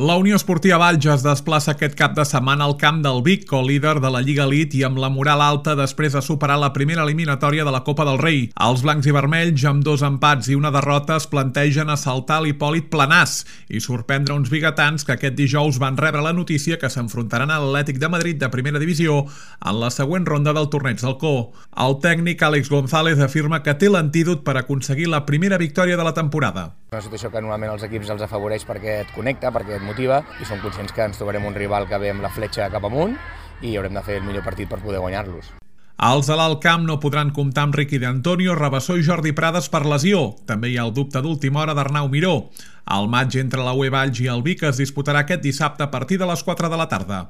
La Unió Esportiva Valls es desplaça aquest cap de setmana al camp del Vic, co-líder de la Lliga Elite i amb la moral alta després de superar la primera eliminatòria de la Copa del Rei. Els blancs i vermells, amb 2 empats i una derrota, es plantegen assaltar l'Hipòlit Planàs i sorprendre uns biguetans que aquest dijous van rebre la notícia que s'enfrontaran a l'Atlètic de Madrid de primera divisió en la següent ronda del torneig del Co. El tècnic Àlex González afirma que té l'antídot per aconseguir la primera victòria de la temporada. Una situació que normalment els equips els afavoreix perquè et connecta, perquè et motiva, i som conscients que ens trobarem un rival que ve amb la fletxa cap amunt i haurem de fer el millor partit per poder guanyar-los. Els de l'Alt Camp no podran comptar amb Riqui d'Antonio, Rabassó i Jordi Prades per lesió. També hi ha el dubte d'última hora d'Arnau Miró. El matx entre la UE Valls i el Vic es disputarà aquest dissabte a partir de les 4 de la tarda.